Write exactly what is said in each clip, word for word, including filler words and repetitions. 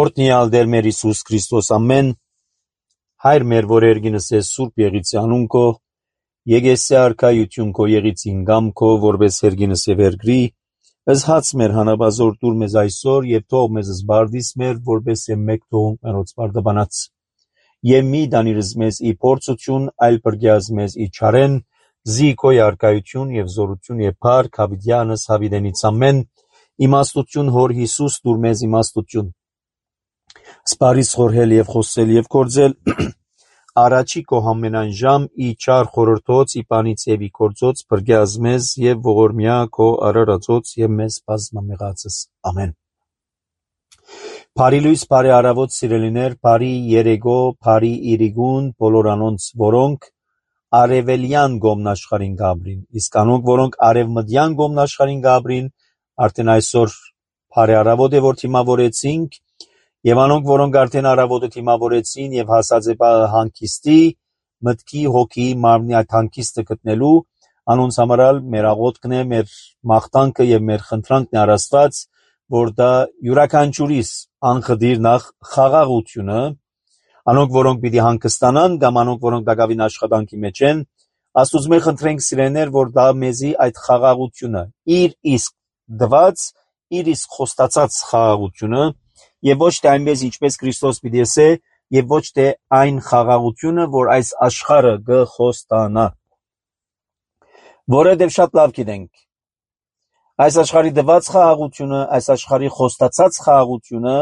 Օրհնյալ Տեր մեր Հիսուս Քրիստոս ամեն հայր մեր որ երգինս է սուրբ եղիցի անունքո եկեսե արքայություն քո եղիցին գամքո որպես երգինս է վերգրի ըս հաց մեր հանաբազոր դուր մեզ այսօր եւ թող մեզ զբարդիս մեր որպես է մեկ թողուն մերոց բարդաբանած եւ մի դանիրս մեզ ի փորձություն այլ բրգյազ մեզ ի չարեն զի քո արքայություն եւ զորություն եւ փառք հավիտյանս հավիտենից ամեն իմաստություն հոր Հիսուս դուր մեզ իմաստություն Սպարիս խորհել եւ խոսել եւ կործել առաջի քո համենայն ժամ ի չար խորհրդոց ի պանից եւ ի կործոց բրգյազ մեզ եւ ողորմյա քո արարածոց եւ մեզ բազմամեղածս ամեն Բարի լույս բարի արավոտ սիրելիներ բարի երեգո բարի իրիգուն բոլոր անոնց որոնք արևելյան գոմնաշխարին գաբրին իսկ անոնք որոնք արևմտյան գոմնաշխարին գաբրին արդեն այսօր բարի արավոտ է որ թիմավորեցինք Եվ անոնք, որոնք արդեն արավոտը թիմավորեցին և հասած է հանգիստի, մտքի, հոգի, մարմնի այդ հանգիստը գտնելու, անոնց համարալ մեր աղոթքն է, մեր մաղթանքը և մեր խնդրանքն է առ Աստված, որ դա յուրաքանչյուրիս անխդիր նախ խաղաղությունը, անոնք, որոնք պիտի հանգստանան, կամ անոնք, որոնք դակավին աշխատանքի մեջ են, Աստուծո մեր խնդրենք սիրելիներ, որ դա մեզի այդ խաղաղությունը, իր իսկ դված, իր իսկ խոստացած խաղաղությունը Եվ ոչ թե այնպես ինչպես Քրիստոս պիտի ասե, եւ ոչ թե այն խաղաղությունը, որ այս աշխարհը գխոստանա։ Որովհետեւ շատ լավ գիտենք, այս աշխարհի դված խաղաղությունը, այս աշխարհի խոստացած խաղաղությունը,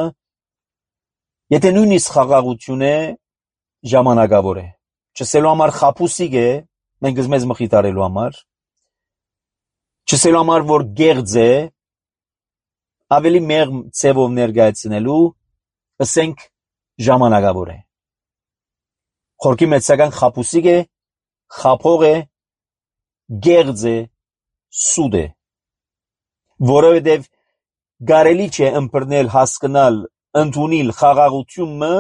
եթե նույնիսկ խաղաղություն է, ժամանակավոր է։ Չսելու համար խապուսիկ է, մենք մեզ մխիթարելու համար, չսելու համար որ գեղձ է, ավելի մեղ ցևով ներկայացնելու, ասենք ժամանակավոր է։ Խորքի մեծական խապուսիկ է, խափող է, գեղձ է, սուտ է։ Որովհետև կարելի չէ ըմբռնել, հասկանալ, ընդունել խաղաղությունը,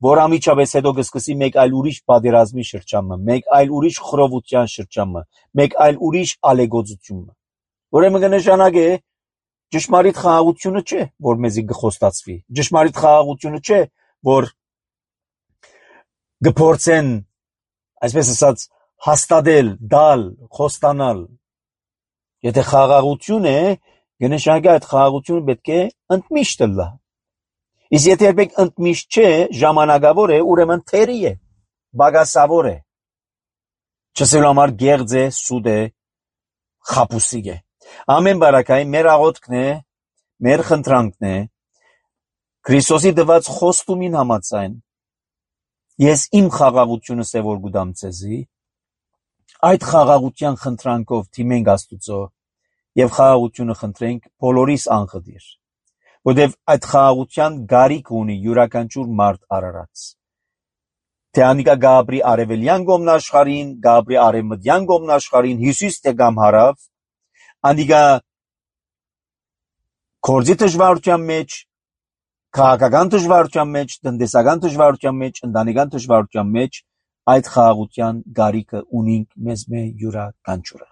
որ ամիջապես հետո կսկսի մեկ այլ ուրիշ պատերազմի շրջանը, մեկ այլ ուրիշ խռովության շրջանը, մեկ այլ ուրիշ ալեգոծությունը։ Ուրեմն կնշանակե Ճշմարիտ խաղաղությունը չէ, որ մեզի գխոստացվի, ճշմարիտ խաղաղությունը չէ, որ գփորձեն, այսպես ասած, հաստատել, դալ, խոստանալ։ Եթե խաղաղություն է, կնշանակի այդ խաղաղությունը պետք է ընդմիշտ լա։ Իսկ եթե երբեք ընդմիշտ չէ, ժամանակավոր է, ուրեմն թերի է, բագասավոր է։ Չսելու համար գեղձ է, սուտ է, խապուսիկ է։ Ամեն բարակային մեր աղոթքն է, մեր խնդրանքն է, Քրիստոսի դված խոստումին համաձայն, ես իմ խաղաղությունս է որ գուդամ ցեզի, այդ խաղաղության խնդրանքով թիմենք Աստուծո եւ խաղաղությունը խնդրենք բոլորիս անխդիր, որտեւ այդ խաղաղության գարիք ունի յուրաքանչյուր մարդ արարած։ Թե անիկա գաբրի արևելյան գոմնաշխարին, գաբրի արևմտյան գոմնաշխարին, հյուսիս թե կամ հարավ, Անիկա կորձի դժվարության մեջ, քաղաքական դժվարության մեջ, տնտեսական դժվարության մեջ, ընտանեկան դժվարության մեջ այդ խաղաղության գարիքը ունենք մեզ մե յուրաքանչյուրը։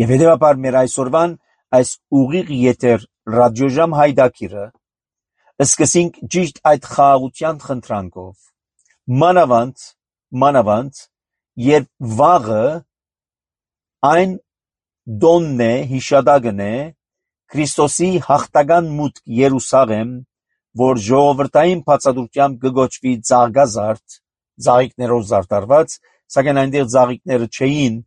Եվ հետևաբար մեր այսօրվան այս ուղիղ եթեր ռադիոժամ հայդակիրը սկսենք ճիշտ այդ խաղաղության խնդրանքով, մանավանդ, մանավանդ, երբ վաղը այն Դոնն է, հիշադակն է, Քրիստոսի հաղթական մուտք Երուսաղեմ, որ ժողովրդային բացատրությամբ կգոչվի ծաղկազարդ, ծաղիկներով զարդարված, սակայն այնտեղ ծաղիկները չէին,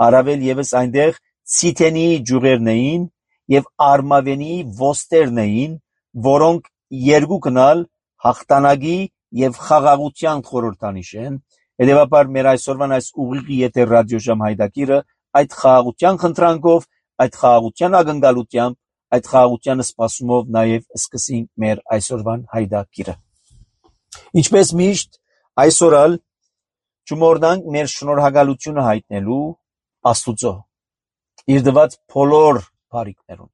առավել ևս այնտեղ ցիթենի ջուղերն էին եւ արմավենի ոստերն էին, որոնք երկուքնալ հաղթանակի եւ խաղաղության խորհրդանիշ են։ Հետևաբար մեր այսօրվան այս ուղիղ եթեր ռադիոժամ հայդակիրը այդ խաղաղության խնդրանքով, այդ խաղաղության ակնկալությամբ, այդ խաղաղության սպասումով նաև սկսենք մեր այսօրվան հայդակիրը։ Ինչպես միշտ, այսօրալ չմոռանանք մեր շնորհակալությունը հայտնելու Աստուծո, իր դված բոլոր բարիքներուն։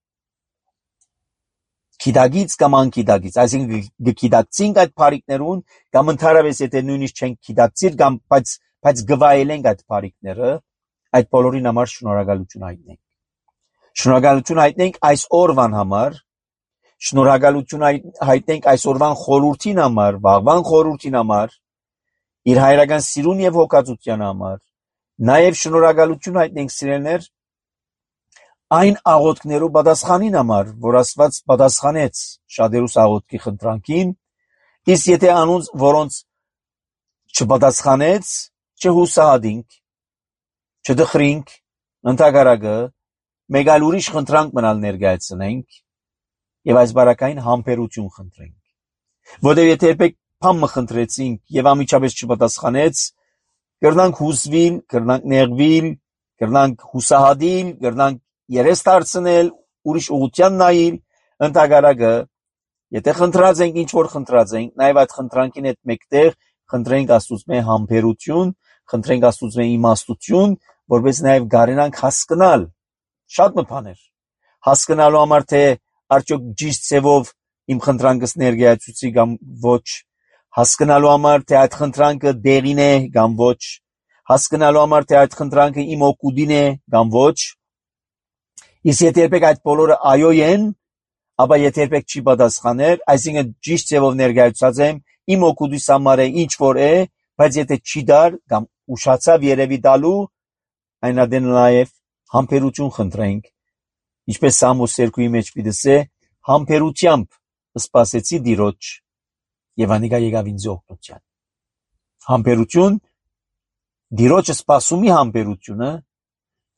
Գիտակից կամ անգիտակից, այսինքն գիտակցինք այդ բարիքներուն, կամ ընդհանրապես եթե նույնիսկ չենք գիտակցիր, կամ բայց բայց գվայելենք այդ բարիքները, այդ բոլորին համար շնորհակալություն հայտնենք։ Շնորհակալություն հայտնենք այս օրվան համար, շնորհակալություն հայտնենք այսօրվան խորհրդին համար, վաղվան խորհրդին համար, իր հայրական սիրուն եւ հոգածության համար, նաեւ շնորհակալություն հայտնենք սիրելներ այն աղոթքներու պատասխանին համար, որ Աստված պատասխանեց շատերուս աղոթքի խնդրանքին, իսկ եթե անոնց, որոնց չպատասխանեց, չհուսահատինք, չդխրինք, ընդհակառակը մեկ այլ ուրիշ խնդրանք մնալ ներկայացնենք եւ այս բարակային համբերություն խնդրենք, որտեղ եթե երբեք բան մխնդրեցինք եւ ամիջապես չպատասխանեց, կրնանք հուսվիլ, կրնանք նեղվիլ, կրնանք հուսահատիլ, կրնանք երես դարձնել, ուրիշ ուղղության նայել, ընդհակառակը եթե խնդրած ենք, ինչ որ խնդրած ենք, նաեւ այդ խնդրանքին հետ մեկտեղ խնդրենք Աստծուց համբերություն, խնդրենք Աստծուց իմաստություն, որպես նաեւ գարենանք հասկանալ շատ մփաներ, հասկանալու համար թե արդյոք ճիշտ ձևով իմ խնդրանքս ներկայացուցի կամ ոչ, հասկանալու համար թե այդ խնդրանքը դեղին է կամ ոչ, հասկանալու համար թե այդ խնդրանքը իմ օգուտին է կամ ոչ, իսկ եթե երբեք այդ բոլորը այո են, ապա եթե երբեք չի պատասխաներ, այսինքն ճիշտ ձևով ներկայացած եմ, իմ օգուտիս համար է ինչ որ է, բայց եթե չի դար կամ ուշացավ երևի տալու, այն adեն նաև համբերություն խնդրենք, ինչպես Սամուս երկուի մեջ պիտեսե, համբերությամբ սպասեցի Տիրոջ եւ անիկա եկավ ինձ օգնության։ Համբերություն, Տիրոջը սպասումի համբերությունը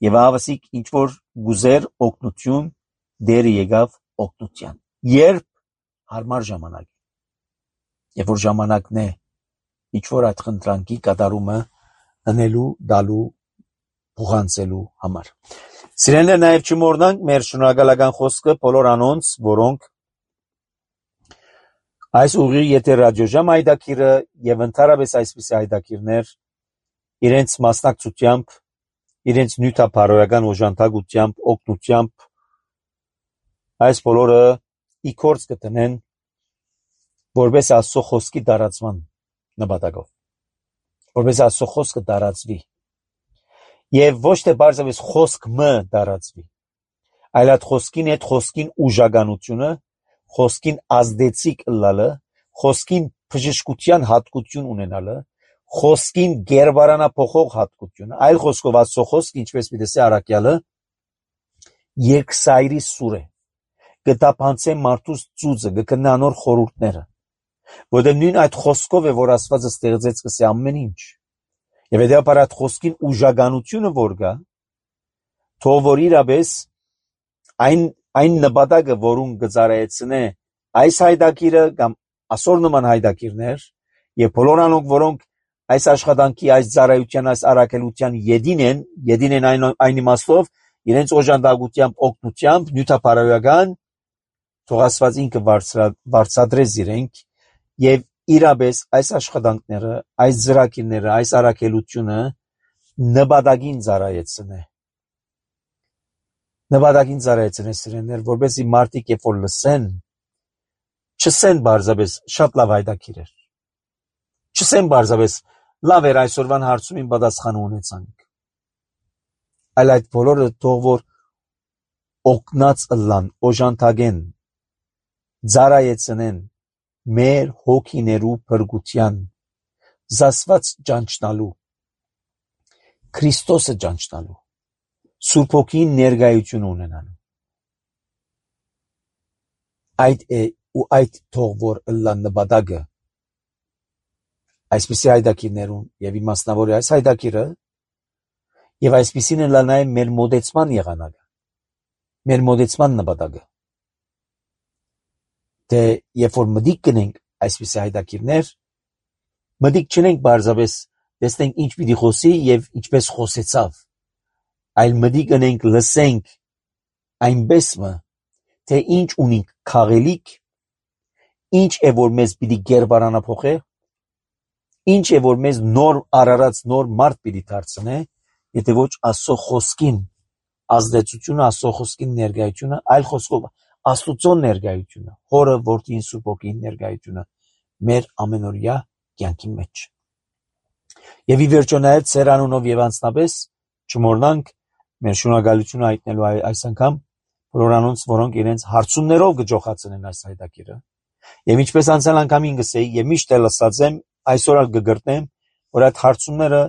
եւ ավասիկ ինչ որ գուզեր օգնություն դերը եկավ օգնության։ Երբ հարմար ժամանակ, երբ որ ժամանակն է ինչ որ այդ խնդրանքի կատարումը անելու, դալու, փոխանցելու համար։ Սիրելիներ, նաև չմոռնանք մեր շնորհակալական խոսքը բոլոր անոնց, որոնք այս ուղի եթե ռադիոժամ հայտակիրը եւ ընդհանրապես այսպիսի հայտակիրներ իրենց մասնակցությամբ, իրենց նյութապարոյական օժանդակությամբ, օգնությամբ այս բոլորը իքորց կտնեն որպես Աստծո խոսքի տարածման նպատակով, որպես Աստծո խոսքը տարածվի եւ ոչ թե բարձրապես խոսքը տարածվի, այլ այդ խոսքին հետ խոսքին ուժականությունը, խոսքին ազդեցիկ ըլլալը, խոսքին բժշկության հատկություն ունենալը, խոսքին գերբարանափոխող հատկությունը, այլ խոսքով Աստծո խոսքը, ինչպես պիտեսե առաքյալը, երկսայրի սուր է, գտապանցե մարդուս ծուծը, գկնա անոր խորհուրդները, որտեղ նույն այդ խոսքով է, որ Աստվածը ստեղծեց կսի ամեն ինչ, եւ հետեւաբար այդ խոսքին ուժականությունը որ կա, թող որ իրապես այն այն նպատակը, որուն գծարայեցնե այս հայտակիրը կամ ասոր նման հայտակիրներ եւ բոլոր անոնք, որոնք այս աշխատանքի, այս ծառայության, այս առաքելության յետին են, յետին են այն այն իմաստով, իրենց օժանդակությամբ, օգնությամբ, նյութապարոյական, թող Աստված ինքը բարձրադրես իրենք եւ իրապես այս աշխատանքները, այս ծրագիրները, այս առաքելությունը նպատակին ծառայեցնե։ Նպատակին ծառայեցնե սիրելիներ, որպեսզի մարդիկ երբ որ լսեն, չսեն բարձրապես շատ լավ հայտակիր էր։ Չսեն բարձրապես լավ էր այսօրվան հարցումին պատասխան ունեցանք։ Այլ այդ բոլորը թող որ օգնած ըլլան, օժանդակեն, ծառայեցնեն մեր հոգիներու փրկության, զասված ճանչնալու, Քրիստոսը ճանչնալու, Սուրբ Հոգին ներկայություն ունենալու։ Այդ է ու այդ թող որ ըլլան նպատակը այսպիսի հայտակիրներուն եւ իմաստնավոր է այս հայտակիրը եւ այսպիսին էլ նաեւ մեր մոդեցման եղանակը, մեր մոդեցման նպատակը։ Թե երբ որ մտիկ կնենք այսպիսի հայտակիրներ, մտիկ չնենք բարձրապես տեսնենք ինչ պիտի խոսի եւ ինչպես խոսեցավ, այլ մտիկ կնենք լսենք այնպես մը, թե ինչ ունենք քաղելիք, ինչ է որ մեզ պիտի գերբարանափոխե, ինչ է որ մեզ նոր արարած նոր մարդ պիտի դարձնե, եթե ոչ Աստծո խոսքին ազդեցությունը, Աստծո խոսքին ներկայությունը, այլ խոսքով Աստծո ներկայությունը, Հորը, Որդին, Սուրբ Հոգին ներկայությունը մեր ամենօրյա կյանքի մեջ։ Եվ ի վերջո նաև Ձեր անունով եւ անձնապես չմոռնանք մեր շնորհակալությունը հայտնելու այս անգամ Որոնց որոնք իրենց հարցումներով գճոխացնեն այս հայտակիրը։ Եվ ինչպես անցյալ անգամին գսեի, եւ միշտ էլ ասած եմ, այսօր էլ կգրտնեմ, որ այդ հարցումները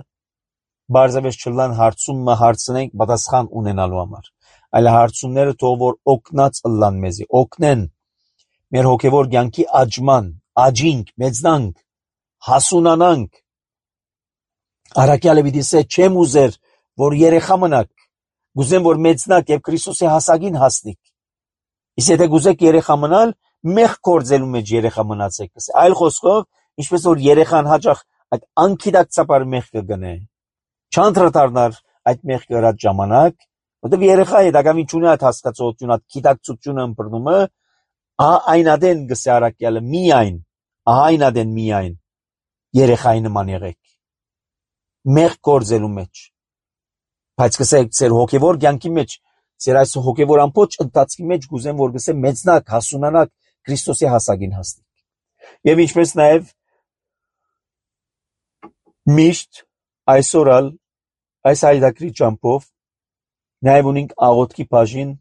բարձրավեճ չլան հարցումը հարցնենք պատասխան ունենալու համար, այլ հարցումները թող որ օգնած ըլլան մեզի, օգնեն մեր հոգևոր կյանքի աճման, աճինք, մեծնանք, հասունանանք։ Արաքյալը պիտի ասե, չեմ ուզեր, որ երեխա մնաք, գուզեմ, որ մեծնաք եւ Քրիստոսի հասակին հասնիք։ Իսկ եթե գուզեք երեխա մնալ, մեղք գործելու մեջ երեխա մնացեք։ Այլ խոսքով, ինչպես որ երեխան հաճախ այդ անկիդակցաբար մեղք կգնե, չանդրադառնար այդ մեղքը գրած ժամանակ, որտեղ երեխա է դակամին չունի այդ հասկացողությունը, այդ գիտակցությունը ըմբռնումը, ահա այնադեն գսե Արաքյալը միայն, ահա այնադեն միայն երեխայի նման եղեք, մեղք գործելու մեջ, բայց գսեք ձեր հոգևոր կյանքի մեջ, ձեր այս հոգևոր ամբողջ ընթացքի մեջ գուզեմ որ գսե մեծնակ, հասունանակ, Քրիստոսի հասակին հասնեք։ Եվ ինչպես նաև միշտ այսօր ալ այս հայդակրի ճամփով նաև ունենք աղոթքի բաժին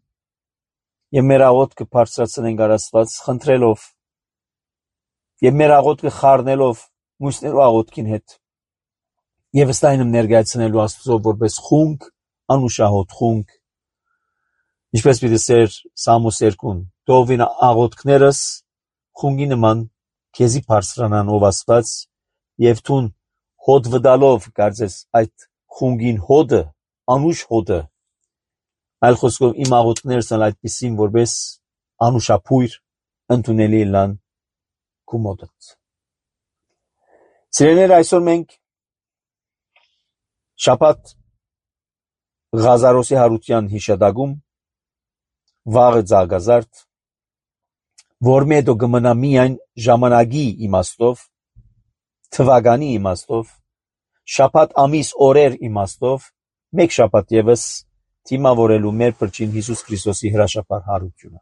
եւ մեր աղոթքը բարձրացնենք Աստված խնդրելով եւ մեր աղոթքը խառնելով մյուսներու աղոթքին հետ եւ ըստ այնմ ներկայացնելու Աստծո որպես խունկ, անուշահոտ խունկ, ինչպես պիտի սեր Սամոս երկուն, թողվին աղոթքներս խունգի նման քեզի բարձրանան ով Աստված եւ թուն հոտ վդալով կարծես այդ խունգին հոդը, անուշ հոդը, այլ խոսքով իմ աղոթքներս են այդպիսին որպես անուշափույր ընդունելի լան քու մոտդ։ Սիրելիներ, այսօր մենք շաբաթ Ղազարոսի հարության հիշադակում վաղը ցաղազարդ որ մետո գմնա միայն ժամանակի իմաստով, թվականի իմաստով, շաբաթ ամիս օրեր իմաստով, մեկ շաբաթ եւս թիմավորելու մեր փրկին Հիսուս Քրիստոսի հրաշափար հարությունը։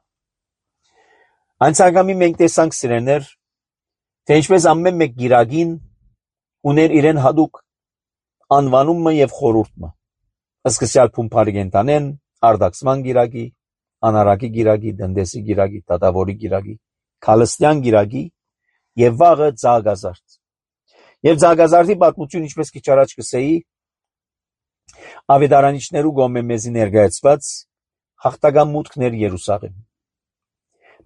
Անցագամի մենք տեսանք սիրելիներ, թե ինչպես ամեն մեկ գիրագին ուներ իրեն հadouk անվանումը եւ խորհուրդը։ Սկսյալ փումփարիգենտանեն, արդակսման գիրագի, անարակի գիրագի, դնդեսի գիրագի, տատավորի գիրագի, քալստյան գիրագի եւ վաղը ցաղազարդ։ Եվ ցաղազարդի պատմություն ինչպես քիչ առաջ կսեի, ավետարանիչներու գոմե մեզի ներկայացված հաղթական մուտքներ Երուսաղեմ։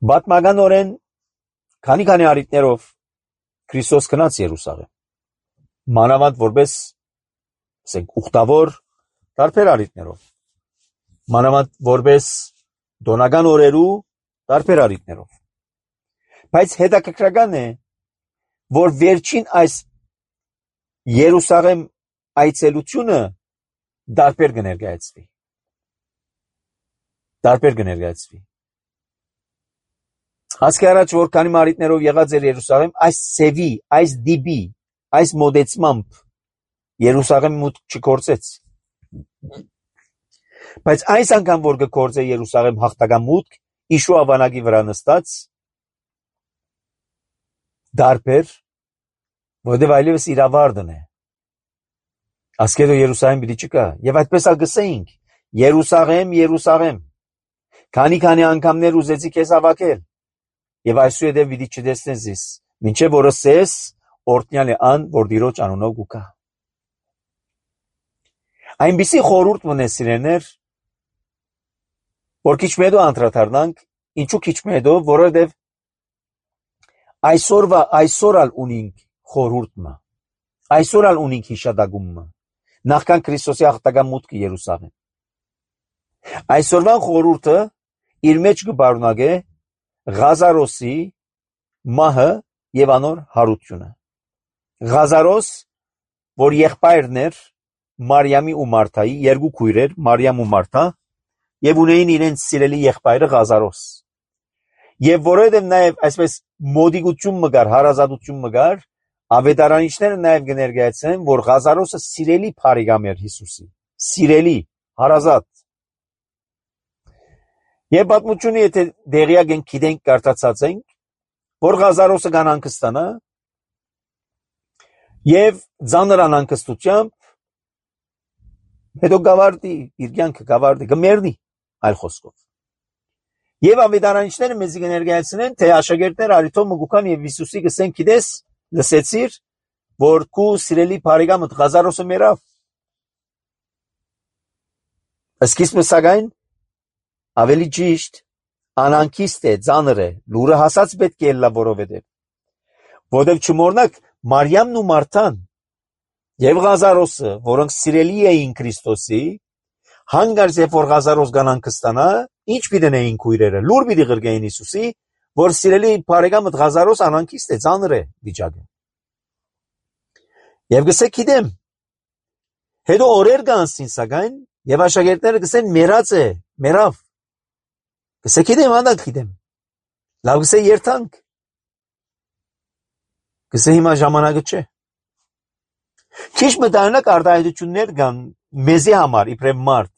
Բատմականորեն քանի-քանի արիտներով Քրիստոս գնաց Երուսաղեմ։ Մանավանդ որպես ասենք ուխտավոր տարբեր արիտներով։ Մանավանդ որպես դոնական օրերու տարբեր արիտներով։ Բայց հետաքրքրական է, որ վերջին այս Երուսաղեմ այցելությունը տարբեր կներկայացվի։ Տարբեր կներկայացվի։ Հասկի առաջ որ քանի մարիտներով եղած էր Երուսաղեմ, այս սևի, այս դիբի, այս մոդեցմամբ Երուսաղեմ մուտք չկործեց։ Բայց այս անգամ որ կկործե Երուսաղեմ հաղթական մուտք, Իշու ավանագի վրա նստած, դարբեր, որտեղ այլևս իրավարդն է։ Ասկեդո Երուսաղեմ պիտի չկա, եւ այդպես ալ գսեինք, Երուսաղեմ, Երուսաղեմ, քանի-քանի անգամներ ուզեցի քեզ հավաքել, եւ այսուհետեւ պիտի չտեսնես ես, մինչեւ որ ասես, օրտնյալ է ան, որ դիրոջ անունով գուկա։ Այնպիսի խորհուրդ մնե սիրելիներ, որ քիչ մեդո անդրադառնանք, ինչու քիչ մեդո, որովհետև այսօրվա այսօր ալ ունենք խորհուրդը, այսօր ալ ունենք հիշադակումը, նախքան Քրիստոսի հաղթական մուտքը Երուսաղեմ։ Այսօրվան խորհուրդը իր մեջ կբարունագե Ղազարոսի մահը եւ անոր հարությունը։ Ղազարոս, որ եղբայրն էր Մարիամի ու Մարթայի, երկու քույրեր, Մարիամ ու Մարթա, եւ ունեին իրենց սիրելի եղբայրը Ղազարոս։ Եվ որովհետեւ նաեւ այսպես մոդիգություն մգար, հարազատություն մգար, ավետարանիչները նաեւ կներկայացնեն, որ Ղազարոսը սիրելի փարիգամ էր Հիսուսի, սիրելի, հարազատ։ Եվ պատմությունը եթե դեղյակ ենք գիտենք, կարդացած ենք, որ Ղազարոսը կան անկստանա եւ ծանր անկստությամբ հետո գավարտի, իր կյանքը գավարտի, կմեռնի, այլ խոսքով։ Եվ ավետարանիչները մեզ կներկայացնեն, թե աշակերտները արիթով մգուքան եւ Հիսուսի գսեն գիտես, լսեցիր, որ քու սիրելի բարեկամդ Ղազարոսը մեռավ։ Սկիզբը սակայն ավելի ճիշտ անանկիստ է, ծանր է, լուրը հասած պետք է ելնա, որովհետև որովհետև չմոռնաք Մարիամն ու Մարթան եւ Ղազարոսը, որոնք սիրելի էին Քրիստոսի, հանգարց երբ որ Ղազարոս գանան կստանա, ինչ պիտենեին քույրերը, լուր պիտի ղրկեին Հիսուսի, որ սիրելի բարեկամդ Ղազարոս անանկիստ է, ծանր է վիճակը։ Եվ գսե գիտեմ, հետո օրեր կանցին սակայն, եւ աշակերտները գսեն մեռած է, մեռավ։ Գսե գիտեմ, անդակ գիտեմ։ Լավ գսե երթանք։ Գսե հիմա ժամանակը չէ։ Քիչ մտանակ արտահայտություններ կան մեզի համար իբրև մարդ,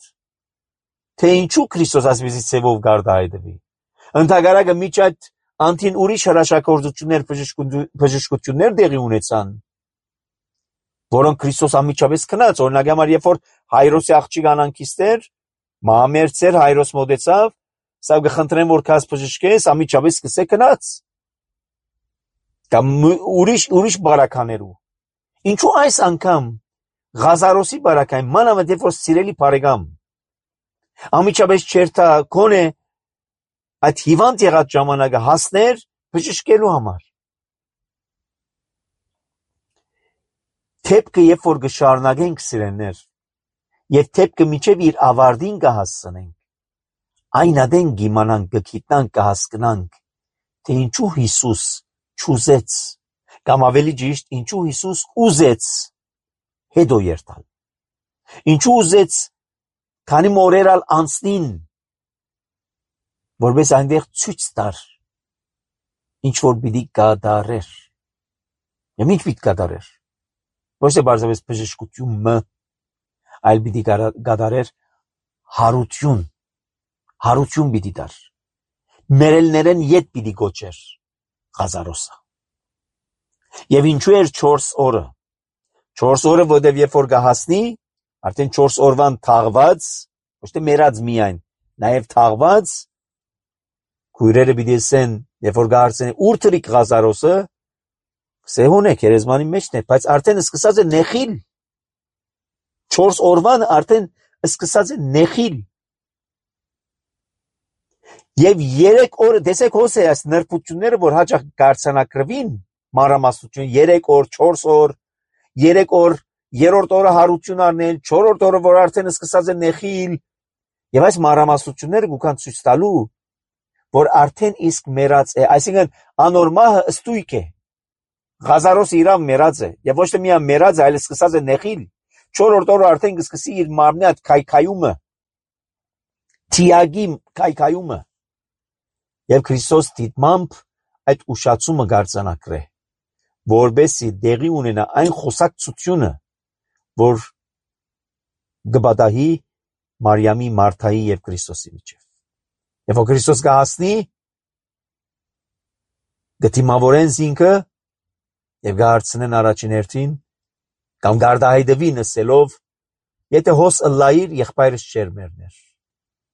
թե ինչու Քրիստոս ասվիզի ծևով գարտահայտվի։ Ընդհակառակը միջ այդ անտին ուրիշ հրաշագործություններ, բժշկություններ տեղի ունեցան, որոնք Քրիստոս անմիջապես քնած, օրինակ համար երբ որ Հայրոսի աղջիկ անանկիստ էր, մահամերձ էր, Հայրոս մոտեցավ, սա կխնդրեմ որ քաս բժշկես, անմիջապես սկսե քնած։ Կամ ուրիշ ուրիշ բարականերու։ Ինչու այս անգամ Ղազարոսի բարակային մանավանդ երբ որ սիրելի բարեկամ անմիջապես չերթա քոնե այդ հիվանդ եղած ժամանակը հասներ բժշկելու համար։ Թեփքը երբ որ կշարունակենք սիրելներ եւ թեփքը միջև իր ավարտին կհասցնենք, այն ադեն կիմանանք, կգիտնանք, կհասկանանք, թե ինչու Հիսուս չուզեց, կամ ավելի ճիշտ, ինչու Հիսուս ուզեց հետո երթալ։ Ինչու ուզեց քանի մորերալ անցնին, որպես այնտեղ ցույց տար, ինչ որ պիտի կատարեր։ Եվ ինչ պիտի կատարեր։ Ոչ թե բարձրապես բժշկությունը, այլ պիտի կատարեր հարություն, հարություն պիտի տար։ Մերելներեն ետ պիտի գոչեր Ղազարոսը։ Եվ ինչու էր չորս օրը։ Չորս օրը, որտեղ երբ որ կհասնի, արդեն չորս օրվան թաղված, ոչ թե մեռած միայն, նաև թաղված, քույրերը պիտի ասեն, երբ որ կհարցնեն ուր թրիկ Ղազարոսը, սեհոն է, քերեզմանի մեջն է, բայց արդեն սկսած է նեխիլ։ Չորս օրվան արդեն սկսած է նեխիլ։ Եվ երեք օր, տեսեք հոս է այս նրբությունները, որ հաճախ կարձանակրվին, մանրամասնություն, երեք օր, չորս օր, երեք օր, երրորդ օրը հարություն առնել, չորրորդ օրը, որ արդեն սկսած է նեխիլ, եւ այս մանրամասնությունները գուքան ցույց տալու, որ արդեն իսկ մեռած է, այսինքն անորմահը ստույք է։ Ղազարոսը իրավ մեռած է, եւ ոչ թե միայն մեռած է, այլ սկսած է նեխիլ։ Չորրորդ օրը արդեն կսկսի իր մարմնի այդ քայքայումը, թիագի քայքայումը։ Եվ Քրիստոս դիտմամբ այդ ուշացումը կարձանակրե, որբեսի դեղի ունենա այն խոսակցությունը, որ գբադահի Մարիամի, Մարթայի եւ Քրիստոսի միջեւ։ Եվ որ Քրիստոս կհասնի, գտիմավորեն զինքը եւ կհարցնեն առաջին հերթին, կամ գարտահայտվի նսելով, եթե հոս ըլլայիր եղբայրս չեր մեռներ։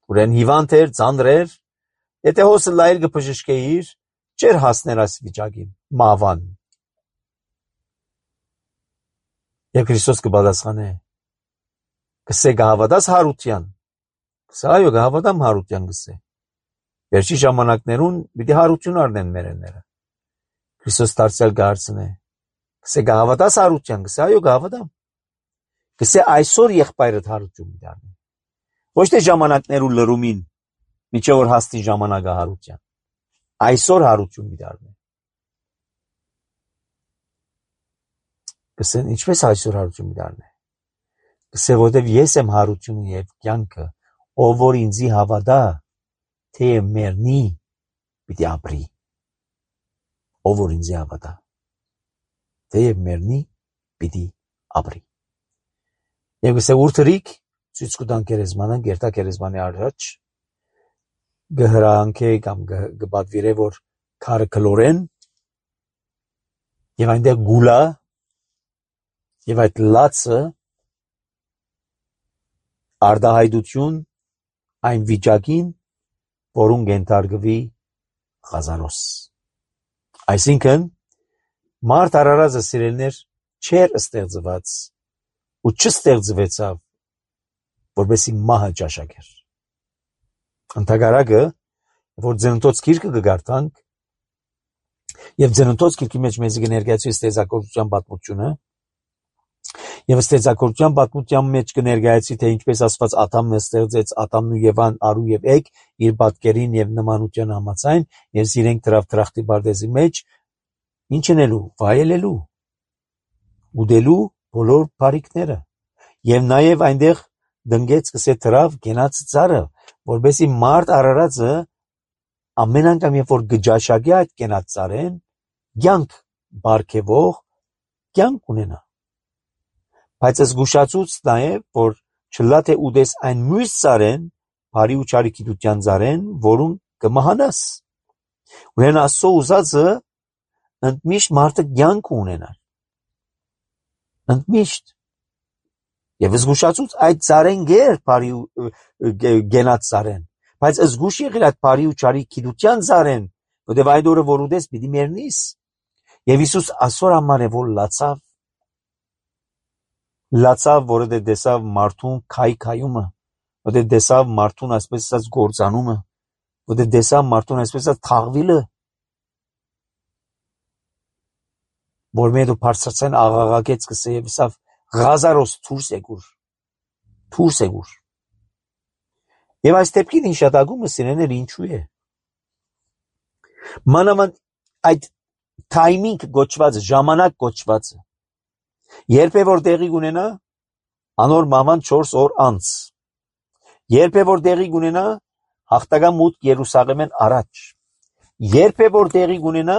Ուրեն հիվանդ էր, ծանր էր, եթե հոս ըլլայիր կբժշկեիր, չեր հասներ այս վիճակին, մահվան։ Եվ Քրիստոս կպատասխանե, կսե կհավատաս հարության, կսե այո կհավատամ հարության կսե։ Վերջի ժամանակներուն պիտի հարություն առնեն մերելները։ Քրիստոս դարձյալ կհարցնե, կսե կհավատաս հարության, կսե այո կհավատամ։ Կսե այսօր եղբայրդ հարություն պիտի առնի։ Ոչ թե ժամանակներու լրումին, միջև որ հասնի ժամանակը հարության։ Այսօր հարություն պիտի առնի։ Կսեն ինչպես այսօր հարություն պիտի առնի։ Կսե որտեվ ես եմ հարությունը եւ կյանքը, ով որ ինձի հավատա, թե մեռնի, պիտի ապրի։ Ով որ ինձի հավատա, թե մեռնի, պիտի ապրի։ Եվ կսե ուր թրիկ, ցույց կտան քերեզմանան, գերտա քերեզմանի առաջ, գհրանքե կամ գբադվիրե որ քարը կլորեն, եւ այնտեղ գուլա, եւ այդ լացը արդահայտություն այն վիճակին, որուն կենթարկվի Ղազարոս։ Այսինքն, մարդ արարածը սիրելիներ չէր ստեղծված ու չստեղծվեցավ, որպեսզի մահը ճաշակեր։ Ընդհակառակը, որ Ծննդոց գիրքը կգարտանք, եւ Ծննդոց գիրքի մեջ մեզ կներկայացվի ստեղծագործության պատմությունը, եւ ստեղծագործության պատմության մեջ կներկայացվի, թե ինչպես Աստված Ադամն ստեղծեց, Ադամն ու Եվան արու եւ էգ իր պատկերին եւ նմանության համաձայն, եւ իրենք դրավ դրախտի բարձի մեջ ինչ անելու, վայելելու, ուդելու բոլոր բարիքները, եւ նաեւ այնտեղ դնգեց կսե դրավ գենաց ծառը, որբեսի մարդ արարածը ամեն անգամ երբ որ գճաշակի այդ գենաց ծառեն, կյանք բարգեվող կյանք ունենա։ Բայց զգուշացուց նաեւ, որ չլա թե ուդես այն մյուս ծառեն, բարի ու չարի գիտության ծառեն, որուն կմահանաս։ Ուրեմն Աստծո ուզածը ընդմիշտ մարդը կյանք ունենա։ Ընդմիշտ։ Եվ զգուշացուց այդ ծառեն գեր բարի ու գենաց ծառեն, բայց զգուշ եղիր այդ բարի ու չարի գիտության ծառեն, որտեղ այդ օրը որ ուդես պիտի մեռնիս։ Եվ Հիսուս այսօր համար է որ լացավ, լացավ, որը դեսավ մարդուն քայքայումը, որը դեսավ մարդուն այսպես ասած գործանումը, որը դեսավ մարդուն այսպես ասած թաղվիլը, որ մեդու բարձրացան աղաղակեց կսե եւ սավ Ղազարոս դուրս եկուր, դուրս եկուր։ Եվ այս դեպքին հիշատակումը սիրեներ ինչու է։ Մանավանդ այդ timing գոչված, ժամանակ գոչվածը, երբ է որ տեղի կունենա, անոր մահվան չորս օր անց, երբ է որ տեղի կունենա, հաղթական մուտք Երուսաղեմեն առաջ, երբ է որ տեղի կունենա,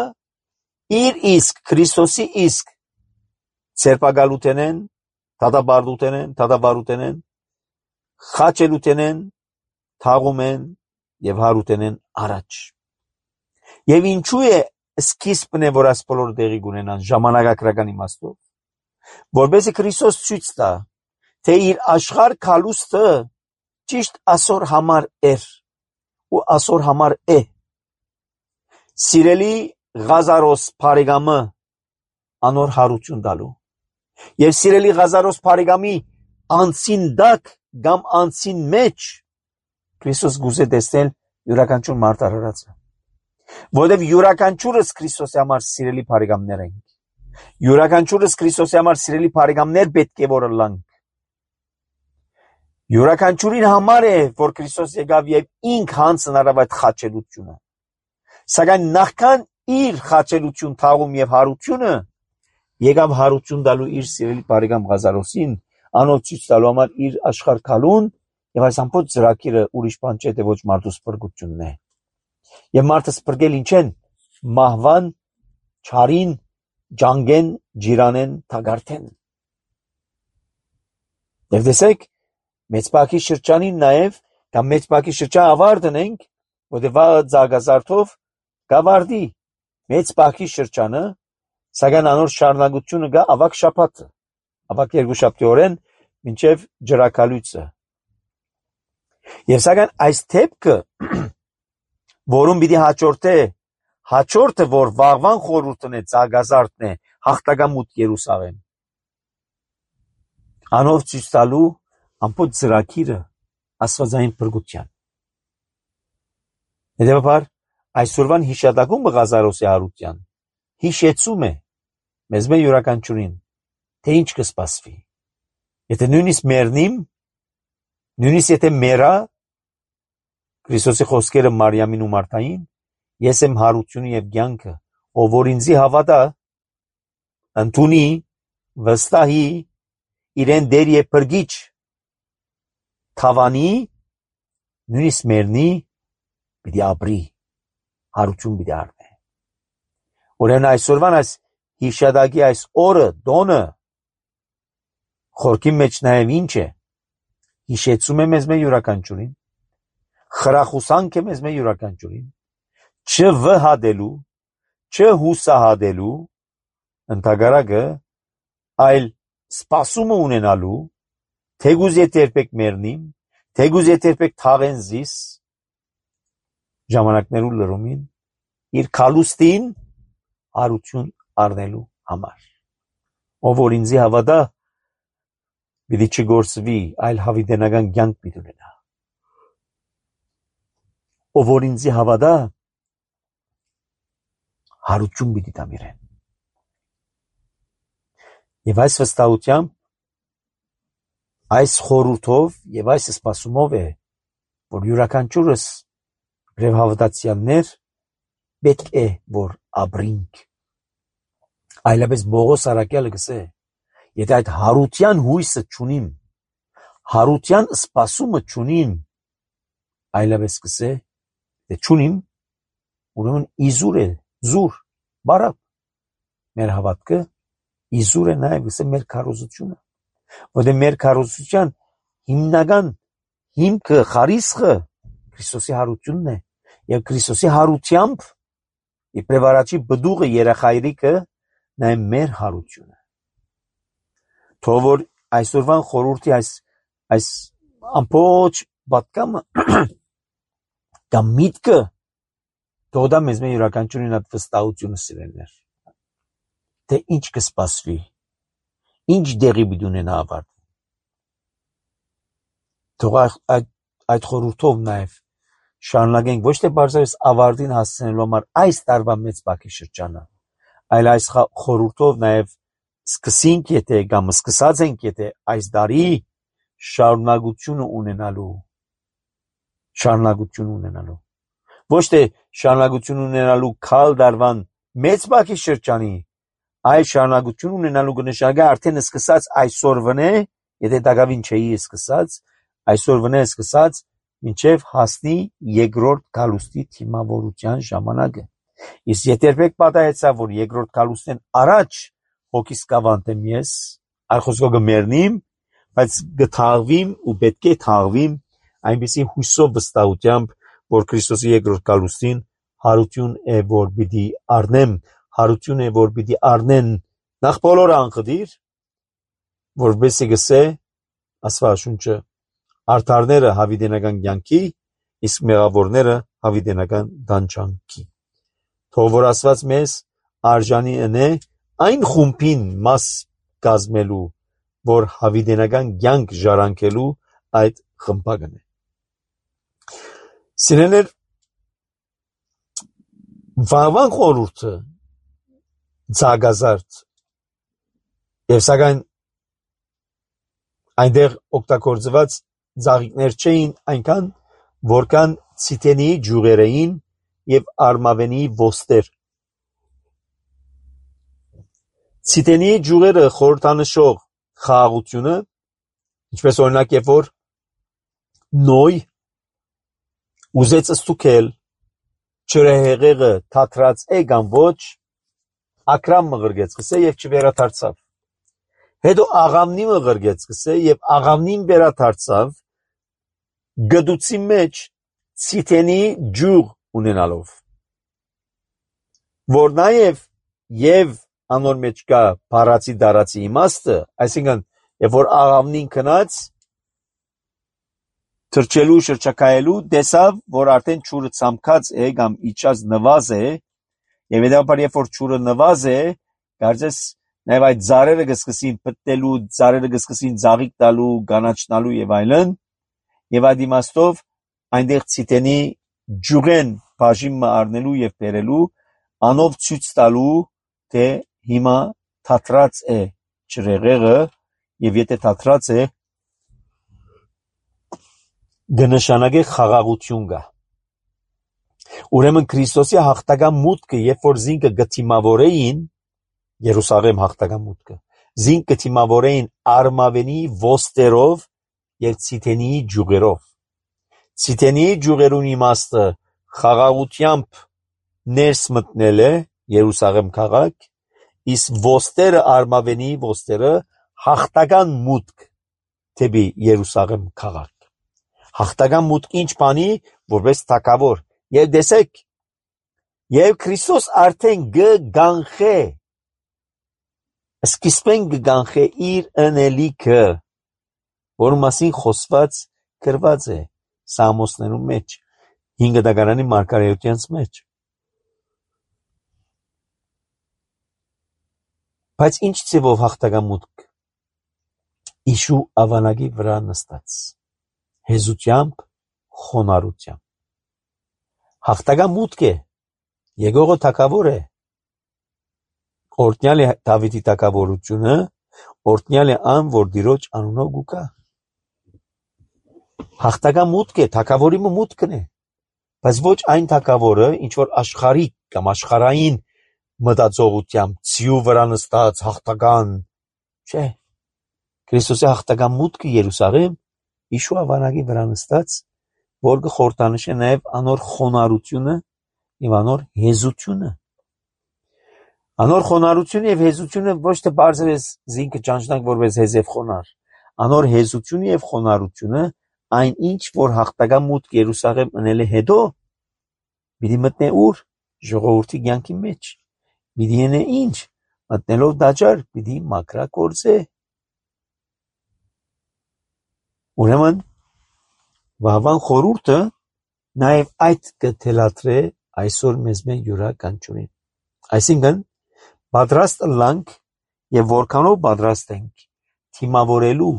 իր իսկ, Քրիստոսի իսկ, ցերպակալութենեն, դատաբարդութենեն, դատաբարութենեն, խաչելութենեն, թաղումեն եւ հարութենեն առաջ։ Եվ ինչու է սկիզբն է, որ այս բոլոր տեղի կունենան ժամանակակրական իմաստով, որբեսի Քրիստոս ցույց տա, թե իր աշխարհ քալուստը ճիշտ այսօր համար էր ու այսօր համար է։ Սիրելի Ղազարոս Փարեգամը անոր հարություն տալու եւ սիրելի Ղազարոս Փարեգամի անցին դակ կամ անցին մեջ Քրիստոս գուզե տեսնել յուրաքանչյուր մարդ արարածը, որովհետեւ յուրաքանչյուրս Քրիստոսի համար սիրելի Փարեգամներ ենք, յուրաքանչյուրս Քրիստոսի համար սիրելի Փարեգամներ պետք է որ լանք, յուրաքանչյուրին համար է որ Քրիստոս եկավ եւ ինք հանցն արավ այդ խաչելությունը, սակայն նախքան իր խաչելություն, թաղում եւ հարությունը եկավ հարություն տալու իր սիրելի Փարեգամ Ղազարոսին, անոր ցույց տալու համար իր աշխարհ քալուն եւ այս ամբողջ ծրագիրը ուրիշ բան չէ, թե ոչ մարդու սփռգությունն է։ Եվ մարդը սփռգել ինչ են մահվան, չարին, ջանգեն, ջիրանեն, թագարթեն։ Եվ տեսեք, մեծ բակի շրջանին նաեւ կամ մեծ բակի շրջան ավարտն ենք, որտեղ զարգազարդով գավարդի մեծ բակի շրջանը, սակայն անոր շարունակությունը գա ավակ շաբաթը, ավակ երկուշաբթիորեն մինչև ջրակալույցը։ Եվ սակայն այս դեպքը, որում պիտի հաջորդե, հաջորդը, որ վաղվան խորհուրդն է, զարգազարդն է, հաղթական մուտք Երուսաղեմ, անով ցույց տալու ամբողջ ծրագիրը աստվածային փրկության։ Հետևաբար, այսօրվան հիշատակումը Ղազարոսի հարության հիշեցում է մեզ մեր յուրաքանչյուրին, թե ինչ կսպասվի։ Եթե նույնիսկ մեռնիմ, նույնիսկ եթե մեռա, Քրիստոսի խոսքերը Մարիամին ու Մարթային, ես եմ հարությունը եւ կյանքը, ով որ ինձի հավատա, ընդունի, վստահի, իրեն դեր եւ փրկիչ թավանի, նույնիսկ մեռնի, պիտի ապրի, հարություն պիտի առնի։ Ուրեմն այսօրվան այս հիշադակի այս օրը, դոնը, խորքի մեջ նաև ինչ է, հիշեցում է մեզ մեր յուրաքանչյուրին, խրախուսանք է մեզ մեր յուրաքանչյուրին, չվհատելու, չհուսահատելու, ընդհակառակը, այլ սպասումը ունենալու, թեգուզ եթե երբեք մեռնիմ, թեգուզ եթե երբեք թաղեն զիս, ժամանակներու լրումին իր քալուստին հարություն առնելու համար։ Ով որ ինձի հավատա, պիտի չգործվի, այլ հավիտենական կյանք պիտի ունենա։ Ով որ ինձի հավատա, հարություն պիտի տամ իրեն։ Եվ այս վստահությամբ, այս խորհուրդով եւ այս սպասումով է, որ յուրաքանչյուրս եւ հավատացյալներ պետք է որ ապրինք։ Այլապես Բողոս Արաքյալը գսե, եթե այդ հարության հույսը չունիմ, հարության սպասումը չունիմ, այլապես գսե, թե չունիմ, ուրեմն իզուր է, զուր, բարապ, մեր հավատքը իզուր է նաև գսե մեր քարոզությունը, որտեղ մեր քարոզության հիմնական հիմքը, խարիսխը Քրիստոսի հարությունն է, եւ Քրիստոսի հարությամբ իբրև առաջի բդուղը երախայրիկը նաև մեր հարությունը։ Թող որ այսօրվան խորհրդի այս այս ամբողջ պատկամը կամ միտքը թող դա մեզ մեր յուրաքանչյուրին այդ վստահությունը սիրելներ, թե ինչ կսպասվի, ինչ դեղի պիտի ունենա ավարտ։ Թող այդ այդ խորհուրդով նաև շարունակենք ոչ թե բարձրապես ավարտին հասցնելու համար այս տարվա մեծ բակի շրջանը, այլ այս խորհուրդով նաև սկսենք, եթե կամ սկսած ենք, եթե այս տարի շարունակությունը ունենալու, շարունակություն ունենալու, ոչ թե շարունակություն ունենալու քալ դարվան մեծ բակի շրջանի, այլ շարունակություն ունենալու կնշանակի արդեն սկսած այսօր վնե, եթե դակավին չէի սկսած, այսօր վնե սկսած մինչև հասնի երկրորդ գալուստի թիմավորության ժամանակը։ Իսկ եթե երբեք պատահեցա, որ երկրորդ գալուստեն առաջ հոգիս կավանտեմ ես, այլ խոսքով կմեռնիմ, բայց կթաղվիմ ու պետք է թաղվիմ այնպիսի հույսով վստահությամբ, որ Քրիստոսի երկրորդ գալուստին հարություն է, որ պիտի առնեմ, հարություն է, որ պիտի առնեն նախ բոլորը անխտիր, որովհետեւ գսե Աստվածաշունչը արդարները հավիտենական կյանքի, իսկ մեղավորները հավիտենական դանչանքի։ Թող որ Աստված մեզ արժանի ընե այն խումբին մաս կազմելու, որ հավիտենական կյանք ժառանգելու այդ խմբակն է։ Սիրելիներ, վաղվան խորհուրդը ցագազարդ եւ սակայն այնտեղ օգտագործված ծաղիկներ չէին այնքան, որքան ցիտենի ջուղերային եւ արմավենի ոստեր։ Ցիտենի ջուղերը խորհրդանշող խաղաղությունը, ինչպես օրինակ երբ որ նոյ ուզեց ստուգել չրեհեղեղը թատրած է կամ ոչ, ակրամ մղրգեց գսե եւ չվերադարձավ։ Հետո աղամնի մղրգեց գսե եւ աղամնին վերադարձավ գդուցի մեջ ցիտենի ջուղ ունենալով, որ նաեւ եւ անոր մեջ կա բառացի դարացի իմաստը, այսինքն երբ որ աղամնին քնած թրջելու շրջակայելու տեսավ, որ արդեն ճուրը ցամքած է կամ իջած նվազ է, եւ հետաբար երբ որ ճուրը նվազ է, կարծես նաեւ այդ ծառերը կսկսին պտտելու, ծառերը կսկսին ծաղիկ տալու, գանաչնալու եւ այլն, եւ այդ իմաստով այնտեղ ցիտենի ջուղեն բաժինը առնելու եւ բերելու, անով ցույց տալու, թե հիմա թատրած է ջրեղեղը եւ եթե թատրած է գնշանագե խաղաղություն կա։ Ուրեմն Քրիստոսի հաղթական մուտքը, երբ որ զինքը գթիմավորեին, Երուսաղեմ հաղթական մուտքը, զինք գթիմավորեին արմավենի ոստերով եւ ցիտենի ջուղերով։ Ցիտենի ջուղերուն իմաստը խաղաղությամբ ներս մտնել է Երուսաղեմ քաղաք, իսկ ոստերը արմավենի ոստերը հաղթական մուտք դեպի Երուսաղեմ քաղաք։ Հաղթական մուտք ինչ բանի, որպես թագավոր, եւ տեսեք, եւ Քրիստոս արդեն գգանխե, սկիզբեն գգանխե իր ընելիքը, որ մասին խոսված գրված է Սամոսներու մեջ, հինգ դագարանի մարգարեությանց մեջ։ Բայց ինչ ձևով հաղթագամուտք Իշու ավանագի վրա նստած, հեզությամբ, խոնարհությամբ։ Հաղթագամուտք է, եկողը թագավոր է, օրհնյալ է Դավիթի թագավորությունը, օրհնյալ է ան, որ Տիրոջ անունով գուկա։ Հաղթագամուտք է, թագավորի մուտքն է, բայց ոչ այն թագավորը, ինչ որ աշխարհիկ կամ աշխարհային մտածողությամբ ցիու վրա նստած հաղթական, չէ։ Քրիստոսի հաղթական մուտքը Երուսաղեմ Իշու ավանագի վրա նստած, որ կխորհրդանշի նաև անոր խոնարհությունը եւ անոր հեզությունը։ Անոր խոնարհությունը եւ հեզությունը ոչ թե բարձրես զինքը ճանչնակ որպես հեզև խոնար, անոր հեզությունը եւ խոնարհությունը այն ինչ որ հաղթական մուտք Երուսաղեմ ընել է հետո, պիտի մտնե ուր ժողովրդի կյանքի մեջ, պիտի ենե ինչ, մտնելով դաջար պիտի մաքրագործե։ Ուրեմն վաղվան խորհուրդը նաև այդ կթելադրե այսօր մեզ մեն յուրաքանչյուրին։ Այսինքն պատրաստ լանք եւ որքանով պատրաստ ենք թիմավորելու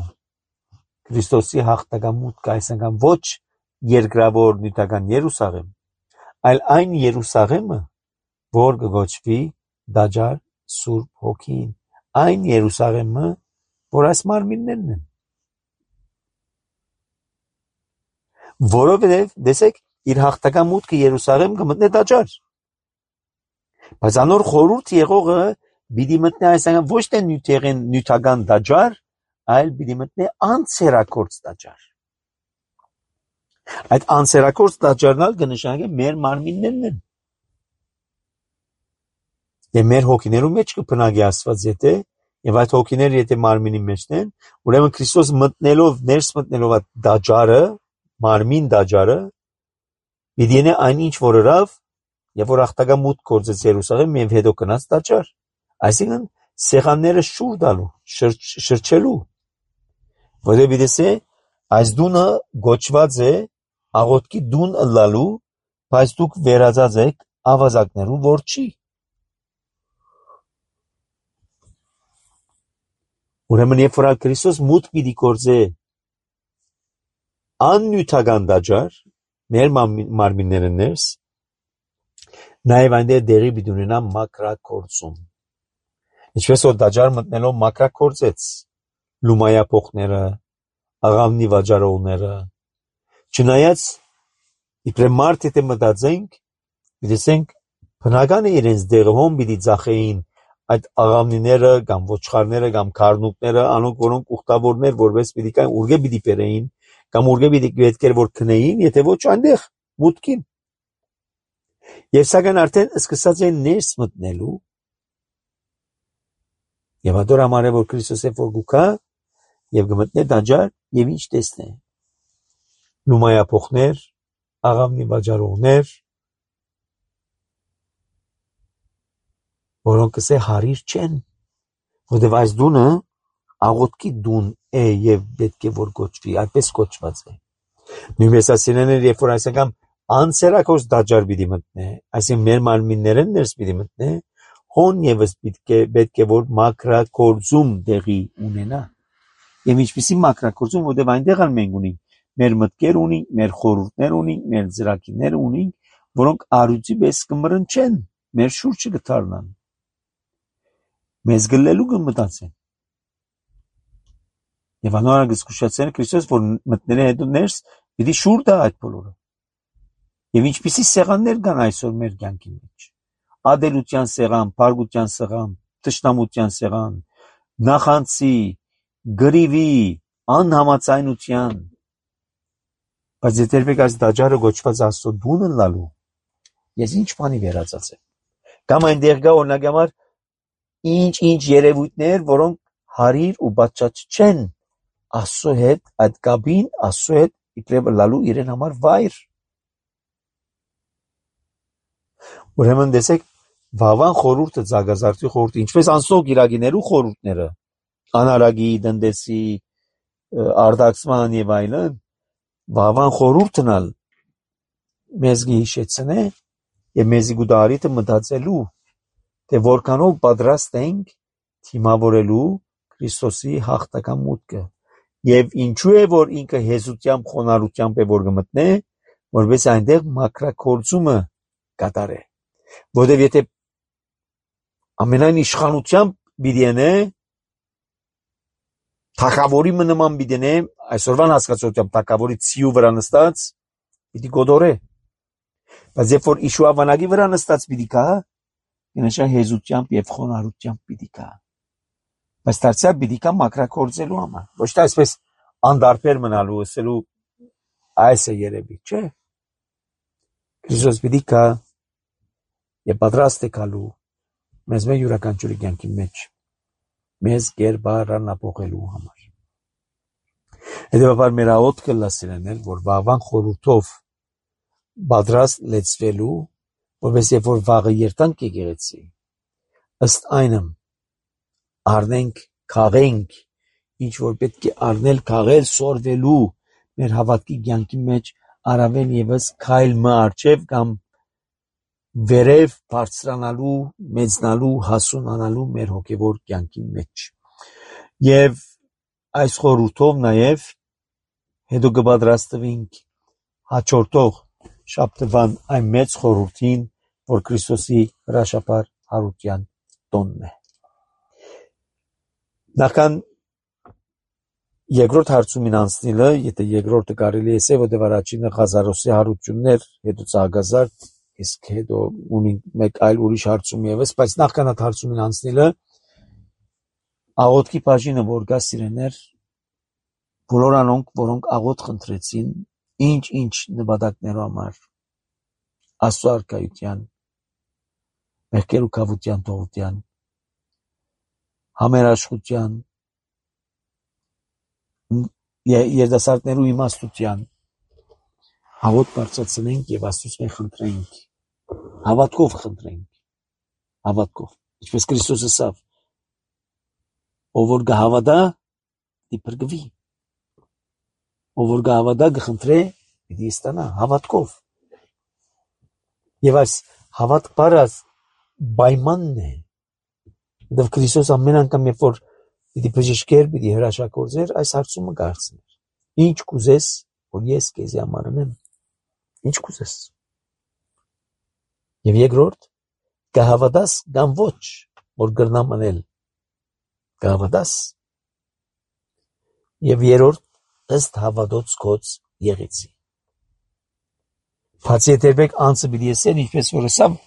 Քրիստոսի հաղթական մուտքը, այսինքն ոչ երկրավոր նյութական Երուսաղեմ, այլ այն Երուսաղեմը, որ կգոչվի դաջար Սուրբ Հոգին, այն Երուսաղեմը, որ այս մարմիններն են։ Որովհետև, տեսեք, իր հաղթական մուտքը Երուսաղեմ կմտնե դաջար։ Բայց անոր խորհուրդ եղողը պիտի մտնե այսինքն ոչ թե նյութեղեն նյութական դաջար, այլ պիտի մտնե անցերակորց դաջար։ Այդ անցերակորց դաջարնալ կնշանակի մեր մարմիններն են։ Եվ մեր հոգիներու մեջ կբնակի Աստված եթե, եւ այդ հոգիները եթե մարմինի մեջն են, ուրեմն Քրիստոս մտնելով, ներս մտնելով այդ դաջարը, մարմին դաջարը, պիտի ենե այն ինչ որ հրավ, եւ որ հաղթական մուտք գործեց Երուսաղեմ եւ հետո գնաց դաջար։ Այսինքն սեղանները շուր տալու, շրջելու։ Որովհետեւ դեսե այս դունը գոչված է աղոթքի դուն ըլլալու, բայց դուք վերածած եք ավազակներու որջի։ Ուրեմն երբ որ Քրիստոս մուտք պիտի գործե աննյութական դաջար, մեր մարմինները ներս, նաև այնտեղ դերի պիտի ունենա մաքրագործում։ Ինչպես որ դաջար մտնելով մաքրագործեց լումայափոխները, աղավնի վաճառողները, չնայած իբրև մարդ եթե մտածենք, դեսենք բնական է իրենց դերը հոն պիտի ծախեին այդ աղավնիները կամ ոչխարները կամ քարնուկները, անոնք որոնք ուխտավորներ որպես պիտի կային ուրգե պիտի բերեին կամ ուրգե պիտի պետք էր որ քնեին, եթե ոչ այնտեղ մուտքին։ Եվ սակայն արդեն սկսած են ներս մտնելու եւ ադոր համար է որ Քրիստոսը որ գուքա եւ գմտնե դաջար եւ ինչ տեսնե լումայափոխներ, աղավնի վաճառողներ, որոնք կսե հարիր չեն, որտեւ այս դունը աղոթքի դուն է եւ պետք է որ գոչվի, այդպես գոչված է։ Նույնպես ասինեներ երբ որ այսինքն անսերակոս դաջար պիտի մտնե, այսինքն մեր մարմիններն ներս պիտի մտնե, հոն եւս պետք է պետք է որ մաքրագործում տեղի ունենա։ Եվ ինչպիսի մաքրագործում, որտեւ այնտեղ ալ մենք ունենք մեր մտքեր ունենք, մեր խորհուրդներ ունենք, մեր ծրագիրներ ունենք, որոնք արույցի պես կմռնչեն, մեր շուրջը կդառնան։ Մեզ գլելու կմտածեն։ Եվ անորակ զգուշացել Քրիստոս, որ մտնել է հետո ներս, պիտի շուր տա այդ բոլորը։ Եվ ինչպիսի սեղաններ կան այսօր մեր կյանքի մեջ։ Ադելության սեղան, փարգության սեղան, թշնամության սեղան, նախանցի, գրիվի, անհամաձայնության։ Բայց եթե երբեք այս դաջարը գոչված Աստծո դունը լալու, ես ինչ բանի վերածած եմ։ Կամ այնտեղ կա օրինակ համար ինչ-ինչ երևույթներ, որոնք հարիր ու բացած չեն Աստծո հետ, այդ կապին Աստծո հետ իբրև լալու իրեն համար վայր։ Ուրեմն տեսեք, վավան խորհուրդը ցագազարդի խորհուրդը, ինչպես անցնող գիրագիներու խորհուրդները, անարագի, դնդեսի, արդակսման եւ այլն, վավան խորհուրդն ալ մեզ գիշեցնե եւ մեզի գուդարիտը մտածելու թե որքանով պատրաստ ենք թիմավորելու Քրիստոսի հաղթական մուտքը եւ ինչու է որ ինքը հեզությամբ խոնարհությամբ է որ գմտնե որպես այնտեղ մակրակորձումը կատարե որովհետեւ եթե ամենայն իշխանությամբ բիդենե թակավորի նման բիդենե այսօրվան հասկացությամբ թակավորի ցիու վրա նստած պիտի գոդորե բայց երբ որ իշուավանագի վրա նստած պիտի կա ինքնաշա հեզությամբ եւ խոնարհությամբ պիտի կա բայց դարձյալ պիտի կա մակրակորձելու համար ոչ թե այսպես անդարբեր մնալու ասելու այս է երևի չէ Քրիստոս պիտի կա եւ պատրաստ է գալու մեզ մեր յուրաքանչյուրի կյանքի մեջ մեզ գերբարանապողելու համար հետեւաբար մեր աղոթքը լսելն որ վաղվան խորհրդով պատրաստ լեցվելու որպես երբ որ վաղը երտանք եկեղեցի ըստ այնմ առնենք քաղենք ինչ որ պետք է առնել քաղել սորվելու մեր հավատքի կյանքի մեջ առավել եւս քայլ մը արջև կամ վերև բարձրանալու մեծնալու հասունանալու մեր հոգևոր կյանքի մեջ եւ այս խորհրդով նաեւ հետո կպատրաստվենք հաջորդող շաբթվան այն մեծ խորհրդին որ Քրիստոսի հրաշապար հարության տոնն է նախքան երկրորդ հարցումին անցնելը եթե երկրորդը կարելի է ասել որ առաջինը Ղազարոսի հարություններ հետո Ծաղկազարդ իսկ հետո ունի մեկ այլ ուրիշ հարցում եւս բայց նախքան այդ հարցումին անցնելը աղոթքի բաժինը որ կա սիրեներ բոլոր անոնք որոնք աղոթ խնդրեցին ինչ ինչ նպատակներով համար Աստծո արքայության մեղքեր ու կավության թողության համերաշխության երդասարտներու իմաստության հավոտ բարձրացնենք եւ Աստծուց մենք խնդրենք հավատքով խնդրենք հավատքով ինչպես Քրիստոսը ասավ ով որ գհավատա դիպրգվի ով որ գհավատա գխնդրե պիտի ստանա հավատքով եւ այս հավատք բառը պայմանն է դեռ Քրիստոս ամեն անգամ երբ որ պիտի բժշկեր պիտի հրաշագործեր այս հարցումը կարծներ ինչ կուզես որ ես քեզի համար անեմ ինչ կուզես եւ երկրորդ կհավատաս կամ ոչ որ գրնամ անել կհավատաս եւ երրորդ ըստ հավատոց կոց եղեցի բացի դերբեք անցը պիտի ասեն ինչպես որ ասավ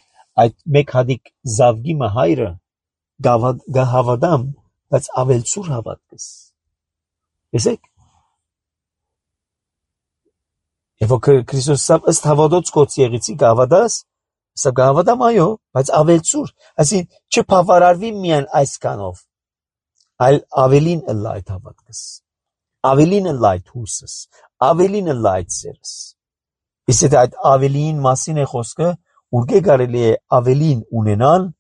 այդ մեկ հատիկ զավգի մը հայրը գահավադամ բայց ավելցուր հավատքս եսեք Եվ Քրիստոս ասավ ըստ հավատոց կոց եղեցի գահավադաս սա գահավադամ այո բայց ավելցուր այսին չփավարարվի միայն այսքանով այլ ավելին ըլլա այդ հավատքս ավելին ըլլա այդ հույսս ավելին ըլլա այդ սերս իսկ այդ ավելին մասին է խոսքը ուրգե կարելի է ավելին ունենալ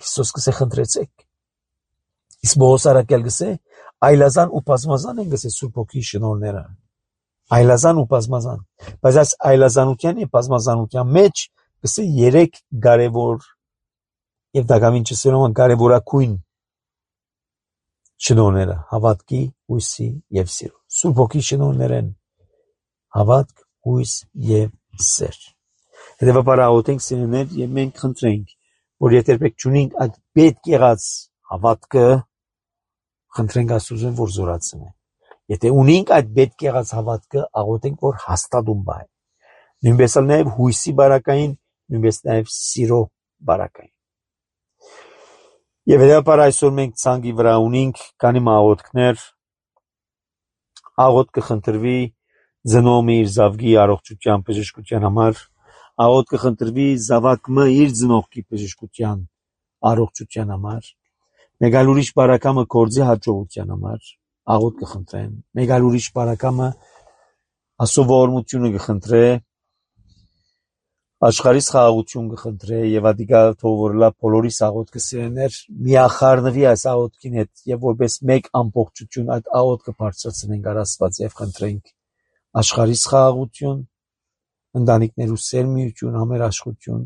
Քրիստոս կսե խնդրեցեք իսկ Պողոս առաքյալ գսե այլազան ու բազմազան են գսե Սուրբ Հոգի շնորհները այլազան ու բազմազան բայց այս այլազանության եւ բազմազանության մեջ գսե երեք կարևոր եւ դակամին չսերոն կարևորակույն շնորհները հավատքի հույսի եւ սիրո Սուրբ Հոգի շնորհներն հավատք հույս եւ սեր հետեւաբար աղոթենք սիրելիներ եւ մենք խնդրենք որ եթե պետք չունենք այդ պետք եղած հավատքը խնդրենք Աստծուն որ զորացնի եթե ունենք այդ պետք եղած հավատքը աղոթենք որ հաստատում բայ նույնպես նաև հույսի բարակային նույնպես նաև սիրո բարակային եւ հետեւաբար այսօր մենք ցանկի վրա ունենք քանի աղոթքներ աղոթքը խնդրվի ծնողի իր զավգի առողջության բժշկության համար աղոթքը խնդրվի զավակը իր ծնողի բժշկության առողջության համար մեկ այլ ուրիշ բարակամը կորձի հաջողության համար աղոթ կխնդրեն, մեկ այլ ուրիշ բարակամը Աստծո ողորմությունը կխնդրե, աշխարհիս խաղաղություն կխնդրե եւ ադիգա թողորլա բոլորիս աղոթքը սիրեներ միախառնվի այս աղոթքին հետ եւ որպես մեկ ամբողջություն այդ աղոթքը բարձրացնենք առ Աստված եւ խնդրենք աշխարհիս խաղաղություն ընտանիքներու սերմիություն, համերաշխություն,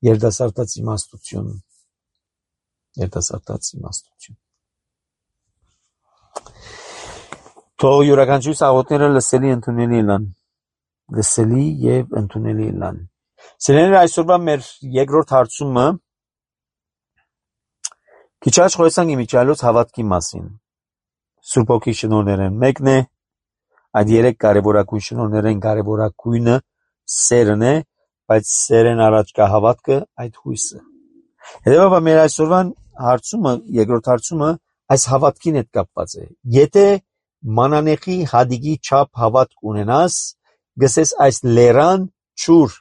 երդասարտած իմաստություն, երդասարտած իմաստություն։ Թող յուրաքանչյուր աղոթները լսելի ընդունելի լան, լսելի եւ ընդունելի լան։ Սիրելիներ, այսօրվա մեր երկրորդ հարցումը քիչ առաջ խոսանք իմիջիալոց հավատքի մասին։ Սուրբ Հոգի շնորհներեն մեկն է, այդ երեք կարևորագույն շնորհներեն կարևորագույնը սերն է, բայց սերեն առաջ կա հավատքը, այդ հույսը։ Հետևաբար մեր այսօրվան հարցումը, երկրորդ հարցումը այս հավատքին հետ կապված է։ Եթե մանանեխի հադիգի չափ հավատք ունենաս, գսես այս լերան չուր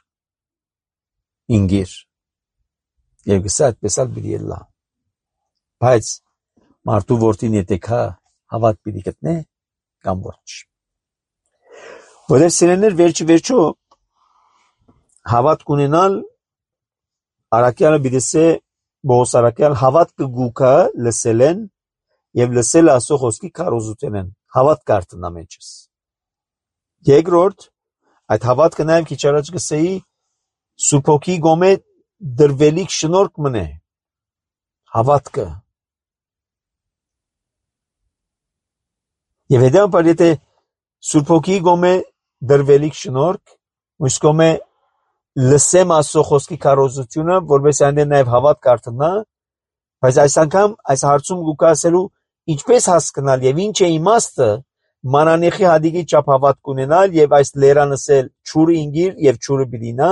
ինգիր եւ գսես այդպես էլ պիտի լա, բայց մարդու որդին եթե կա հավատ պիտի գտնե կամ ոչ։ Որովհետեւ սիրելիներ, վերջի վերջո հավատք ունենալ Արաքյալը պիտի ասե Բողոս Արաքյալ հավատքը գուքա լսելեն եւ լսել Աստծո խոսքի քարոզութենեն հավատք կարտնա մեջս։ Երկրորդ այդ հավատքը նաեւ քիչ առաջ գսեի Սուրբ Հոգի գոմե դրվելիք շնորհք մնե հավատքը։ Եվ հետո եթե Սուրբ Հոգի գոմե դրվելիք շնորհք, ույս գոմե լսեմ Աստծո խոսքի քարոզությունը, որպես այնտեղ նաև հավատք արտնա, բայց այս անգամ այս հարցում գուկա ասելու ինչպես հասկանալ եւ ինչ է իմաստը մանանեխի հադիգի չափ հավատք ունենալ եւ այս լերանսել ճուրը ինգիր եւ ճուրը բիդինա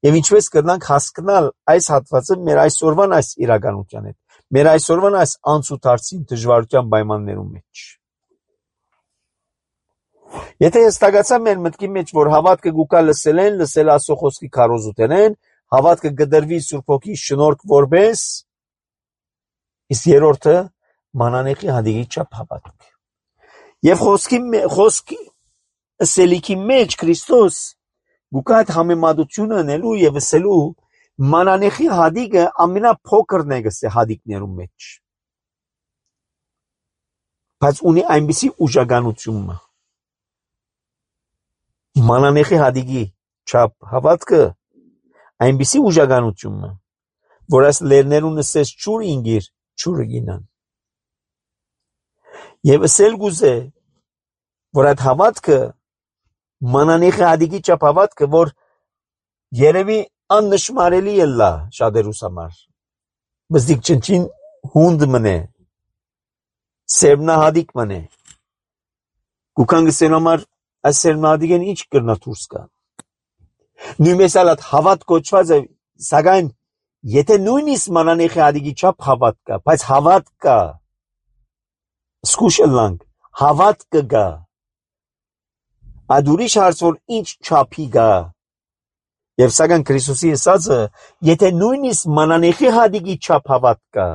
եւ ինչպես կրնանք հասկանալ այս հատվածը մեր այսօրվան այս իրականության հետ, մեր այսօրվան այս անցուդարձին դժվարության պայմաններում մեջ։ Եթե հստակացա մեր մտքի մեջ, որ հավատքը գուկա լսել են, լսել Աստծո խոսքի քարոզութենեն, հավատքը գդրվի Սուրբ Հոգի շնորհք որպես, իսկ երրորդը մանանեխի հադիգի չափ հավատք։ Եվ խոսքի խոսքի սելիքի մեջ Քրիստոս գուկա այդ համեմատությունը անելու եւ ասելու մանանեխի հադիգը ամենափոքրն է գսե հադիգներում մեջ, բայց ունի այնպիսի ուժականություն։ Մանանեխի հադիգի չափ հավատքը այնպիսի ուժականություն, որ այս լերներուն ասես ճուր ինգիր, ճուրը գինան։ Եվ ասել գուզե, որ այդ հավատքը մանանեխի հադիգի չափ հավատքը, որ երևի աննշմարելի է լա շատերուս համար, բզդիկ չնչին հունդ մնե, սերմնահադիգ մնե, գուքան գսել համար այս սերմնահադիգեն ինչ կրնա դուրս կա։ Նույնպես էլ այդ հավատ կոչված է, սակայն եթե նույնիսկ մանանեխի հադիգի չափ հավատ կա, բայց հավատ կա, սկուշ ըլլանք, հավատ կգա, այդ ուրիշ հարց որ ինչ չափի գա, եւ սակայն Քրիստոսի ասածը, եթե նույնիսկ մանանեխի հադիգի չափ հավատ կա,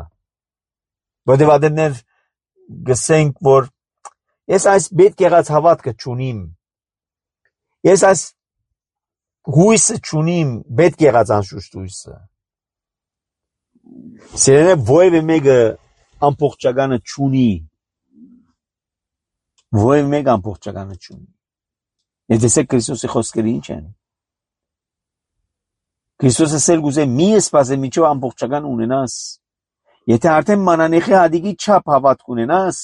որտեղ ademներ գսենք, որ ես այս պետք եղած հավատքը չունիմ, ես այս հույսը չունիմ, պետք եղած անշուշտ հույսը։ Սիրելիներ, ովևէ մեկը ամբողջականը չունի, ովևէ մեկը ամբողջականը չունի։ Ես տեսեք Քրիստոսի խոսքերը ինչ են։ Քրիստոսը ասել գուզե մի սպասե միջով ամբողջական ունենաս, եթե արդեն մանանեխի հադիգի չափ հավատք ունենաս,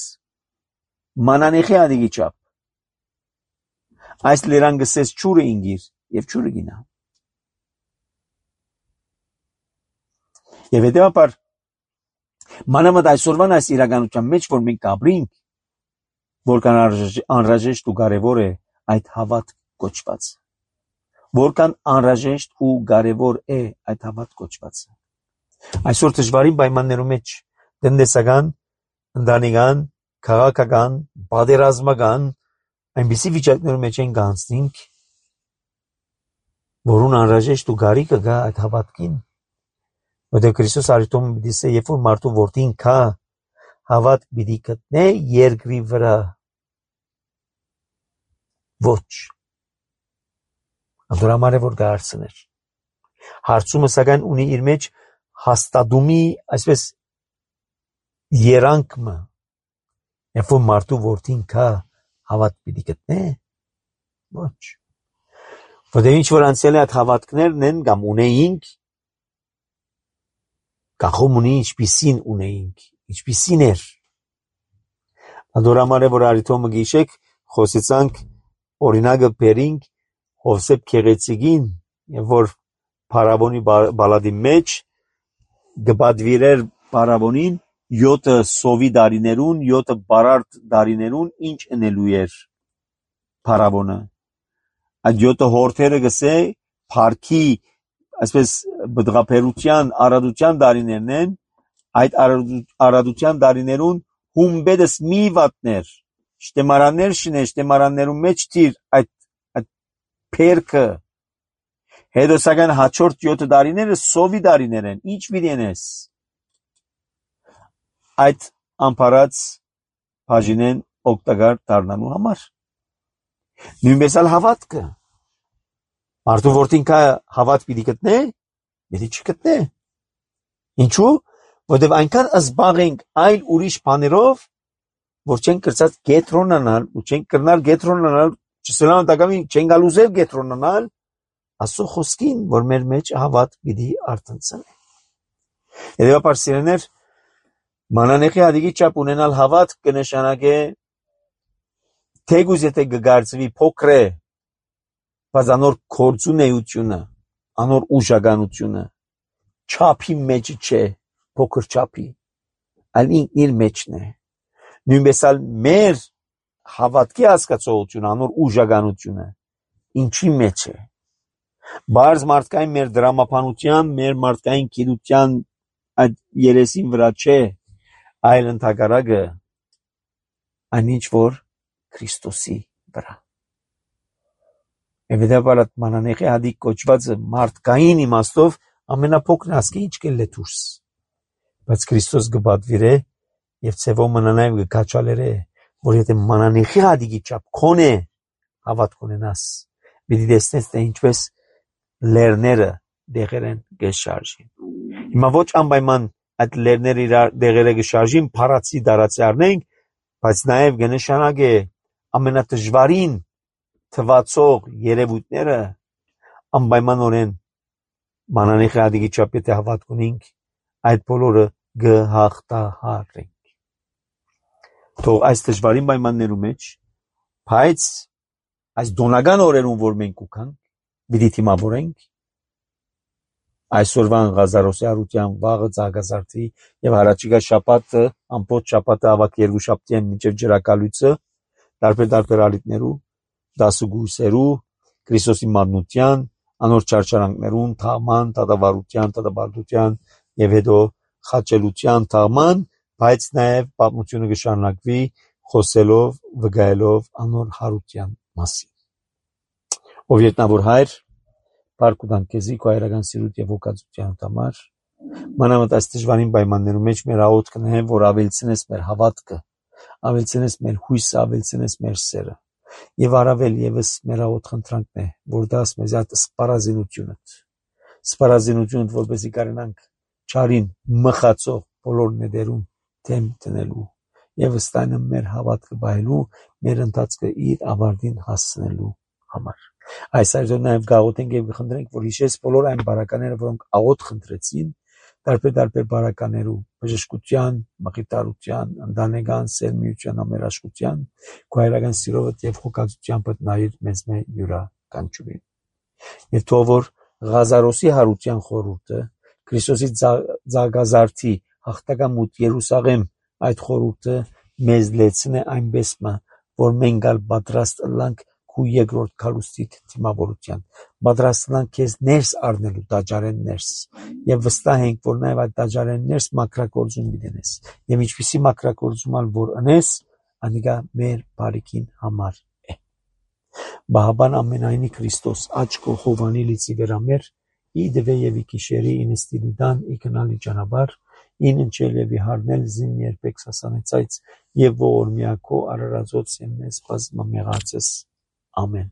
մանանեխի հադիգի չափ, այս լերան գսես ճուրը ինգիր եւ ճուրը գինա։ Եվ հետեւաբար մանավանդ այսօրվան այս իրականության մեջ, որ մենք ապրենք, որքան անհրաժեշտ ու կարևոր է այդ հավատ կոչված, որքան անհրաժեշտ ու կարևոր է այդ հավատ կոչվածը։ Այսօր դժվարին պայմաններում մեջ տնտեսական, ընտանեկան, քաղաքական, պատերազմական այնպիսի վիճակներում մեջ են գանցնենք, որուն անհրաժեշտ ու գարիկը գա այդ հավատքին, որտեղ Քրիստոս արիտոմ պիտի ասե, երբ որ մարդու որդին կա, հավատ պիտի գտնե երկրի վրա, ոչ, անդորամար է որ գա հարցներ, հարցումը սակայն ունի իր մեջ հաստատումի, այսպես երանքմը, երբ որ մարդու որդին կա, հավատ պիտի գտնե, ոչ, Որտեղ ինչ որ անցյալի այդ հավատքներն են կամ ունեինք, կախում ունի ինչպիսին ունեինք, ինչպիսին էր։ Դորամար է, որ արիթոմը գիշեք, խոսեցանք օրինակը բերինք Հովսեփ Քեղեցիկին, եւ որ Փարավոնի բալադի մեջ գբադվիրեր Փարավոնին յոթը սովի դարիներուն, յոթը բարարդ դարիներուն ինչ ընելու էր Փարավոնը։ Այդ յոթը հորթերը գսե Փարքի, այսպես բդղապերության, արադության դարիներն են, այդ արադության դարիներուն հումբեդս մի վատներ, շտեմարաններ շինե, շտեմարաններում մեջ թիր այդ, այդ պերքը, հետո սակայն հաջորդ յոթը դարիները սովի դարիներ են, ինչ վիրեն ես, այդ ամպարած բաժինեն օգտակար դառնալու համար, նույնպես ալ հավատքը, մարդու որդին կա հավատ պիտի գտնե, պիտի չգտնե, ինչու, որտև այնքան զբաղ ենք այլ ուրիշ բաներով, որ չենք կրծած գետրոնանալ, ու չենք կրնալ գետրոնանալ, չսելան տակամին չենք գալուզել գետրոնանալ, ասո խոսքին, որ մեր մեջ հավատ պիտի արտնցնե։ Հետևաբար սիրեներ, մանանեխի հադիգի չափ ունենալ հավատ կնշանակե թեգուզ եթե գգարձվի փոքր է, բայց անոր կործունեությունը, անոր ուժականությունը, չափի մեջ չէ, փոքր չափի, այլ ինքն իր մեջն է։ Նույնպես ալ մեր հավատքի հասկացողությունը, անոր ուժականությունը, ինչի մեջ է։ Բարձ մարդկային մեր դրամապանության, մեր մարդկային գիտության այդ երեսին վրա չէ, այլ ընդհակառակը այն ինչ որ Քրիստոսի վրա։ Եվետաբար այդ մանանեխի հադիկ կոչվածը մարդկային իմաստով ամենափոքրն ասկի ինչ կել է դուրս, բայց Քրիստոս գբադվիր է եւ ցեվո մանանայվ գկաչալեր է, որ եթե մանանեխի հադիկի չափ քոնե հավատք ունենաս, պիտի տեսնես թե ինչպես լերները դեղերեն գշարժին։ Հիմա ոչ անպայման այդ լերները իրար դեղերը գշարժին, փարացի դարացի առնենք, բայց նաեւ կնշանակե ամենադժվարին թվացող երևույթները անպայմանորեն մանանեխի հադիկի չափ եթե հավատք ունենք, այդ բոլորը գհաղթահարենք։ Թող այս դժվարին պայմաններում մեջ, բայց այս դոնական օրերում, որ մենք ուքանք, պիտի թիմավորենք, այսօրվան Ղազարոսի հարության վաղը ծաղկազարդի եւ հարաճիգա շաբաթը ամբողջ շաբաթը ավակ երկու շաբթի են մինչեւ ջրակալույցը տարբեր տարբեր ալիքներու դասուգույսերու Քրիստոսի մատնության անոր չարչարանքներուն թաղման, դատավարության, դատաբարդության եւ հետո խաչելության թաղման, բայց նաեւ պատմությունը կշարունակվի խոսելով, վկայելով անոր հարության մասին։ Ով ետնավոր հայր, Փառք ու տանք քեզի քո հայրական սիրուտ եւ հոգացության համար, մանավանդ այս դժվարին պայմաններում մեջ մեր աղոթքն է, որ ավելցնես մեր հավատքը, ավելցնես մեր հույսը, ավելցնես մեր սերը։ Եվ առավել եւս մեր աղոթ խնդրանքն է, որ դաս մեզ այդ սպառազինությունը, սպառազինությունը, որպեսզի կարողանանք չարին մխացող բոլոր ներերուն թեմ տնելու եւ ըստայնը մեր հավատքը բայելու, մեր ընթացքը իր ավարտին հասցնելու համար։ Այս այժմ նաեւ գաղութենք եւ խնդրենք, որ հիշես բոլոր այն բարակաները, որոնք աղոթ խնդրեցին, տարբեր տարբեր բարականերու, բժշկության, մխիթարության, ընտանեկան սերմիության, ամերաշխության, քո հայրական սիրովդ եւ հոգացությամբ նայիր մեզ մե յուրաքանչյուրին։ Եվ թող որ Ղազարոսի հարության խորհուրդը, Քրիստոսի ձագազարդի հաղթակամուտ Երուսաղեմ այդ խորհուրդը մեզ լեցնե այնպես մը, որ մենք ալ պատրաստ լանք քու երկրորդ քալուստիդ դիմավորության, պատրաստ լանք քեզ ներս առնելու դաջարեն ներս, եւ վստահ ենք, որ նաեւ այդ դաջարեն ներս մակրագործում դինես, եւ ինչպիսի մակրագործում ալ որ անես, անիկա մեր բարիքին համար է։ Բահաբան ամենայնի Քրիստոս աչքո հովանի լիցի վերամեր, ի դվե եւ ի կիշերի ինստիլիդան ի կնալի ճանապար, ին ընչել եւ իհարնել զին երբեք սասանեցայց եւ ողորմիակո արարածոց եմ մեզ բազմամեղացես Ամեն։